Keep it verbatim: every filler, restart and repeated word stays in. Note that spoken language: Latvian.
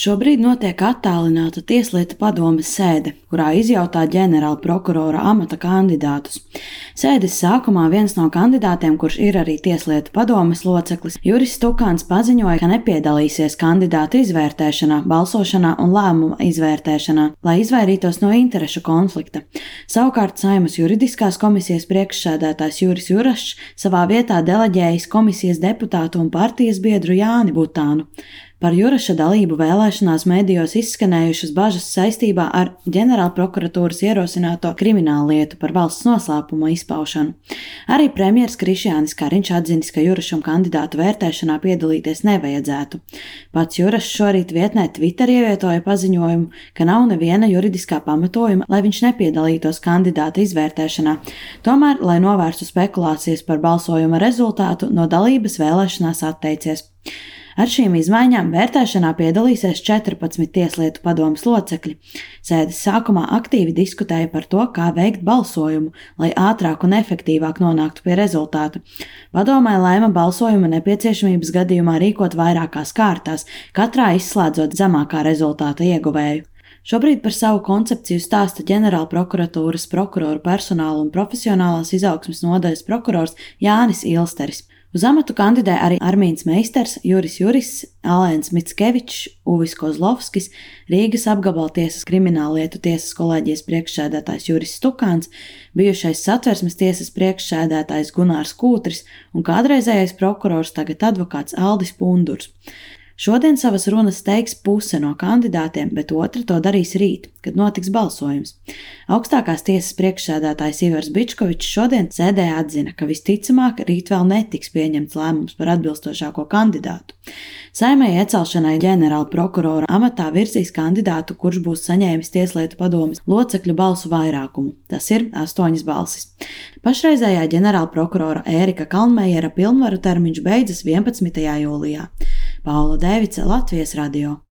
Šobrīd notiek attālināta tieslietu padomes sēde, kurā izjautā ģenerāla prokurora amata kandidātus. Sēdes sākumā viens no kandidātiem, kurš ir arī tieslietu padomes loceklis, Juris Stukāns paziņoja, ka nepiedalīsies kandidātu izvērtēšanā, balsošanā un lēmuma izvērtēšanā, lai izvairītos no interešu konflikta. Savukārt Saeimas juridiskās komisijas priekšsēdētājs Juris Jurašs savā vietā deleģējis komisijas deputātu un partijas biedru Jāni Butānu. Par Juraša dalību vēlēšanās medijos izskanējušas bažas saistībā ar ģenerālprokuratūras ierosināto krimināllietu par valsts noslēpuma izpaušanu. Arī premjers Krišjānis Kariņš atzinis, ka Jurašam kandidātu vērtēšanā piedalīties nevajadzētu. Pats Jurašs šorīt vietnē Twitter ievietoja paziņojumu, ka nav neviena juridiskā pamatojuma, lai viņš nepiedalītos kandidāta izvērtēšanā. Tomēr, lai novērstu spekulācijas par balsojuma rezultātu, no dalības vēlēšanās atteicies. Ar šīm izmaiņām vērtēšanā piedalīsies četrpadsmit tieslietu padomes locekļi. Sēdes sākumā aktīvi diskutēja par to, kā veikt balsojumu, lai ātrāk un efektīvāk nonāktu pie rezultāta. Padomē lēma balsojuma nepieciešamības gadījumā rīkot vairākās kārtās, katrā izslēdzot zemākā rezultāta ieguvēju. Šobrīd par savu koncepciju stāsta ģenerālprokuratūras prokuroru personāla un profesionālās izaugsmes nodaļas prokurors Jānis Ilsteris. Uz amatu kandidē arī Armīns Meisters, Juris Juris, Alēns Mickevičs, Uvis Kozlovskis, Rīgas apgabaltiesas krimināllietu tiesas kolēģijas priekšsēdētājs Juris Stukāns, bijušais Satversmes tiesas priekšsēdētājs Gunārs Kūtris un kādreizējais prokurors, tagad advokāts Aldis Pundurs. Šodien savas runas teiks puse no kandidātiem, bet otra to darīs rīt, kad notiks balsojums. Augstākās tiesas priekšsēdētājs Ivars Bičkovičs šodien sēdē atzina, ka visticamāk rīt vēl netiks pieņemts lēmums par atbilstošāko kandidātu. Saeimai iecelšanai ģenerāla prokurora amatā virzīs kandidātu, kurš būs saņēmis tieslietu padomes locekļu balsu vairākumu. Tas ir astoņas balsis. Pašreizējā ģenerāla prokurora Ērika Kalnmejera pilnvaru termiņš beidzas vienpadsmitajā jūlijā. Paula Dēvice, Latvijas radio.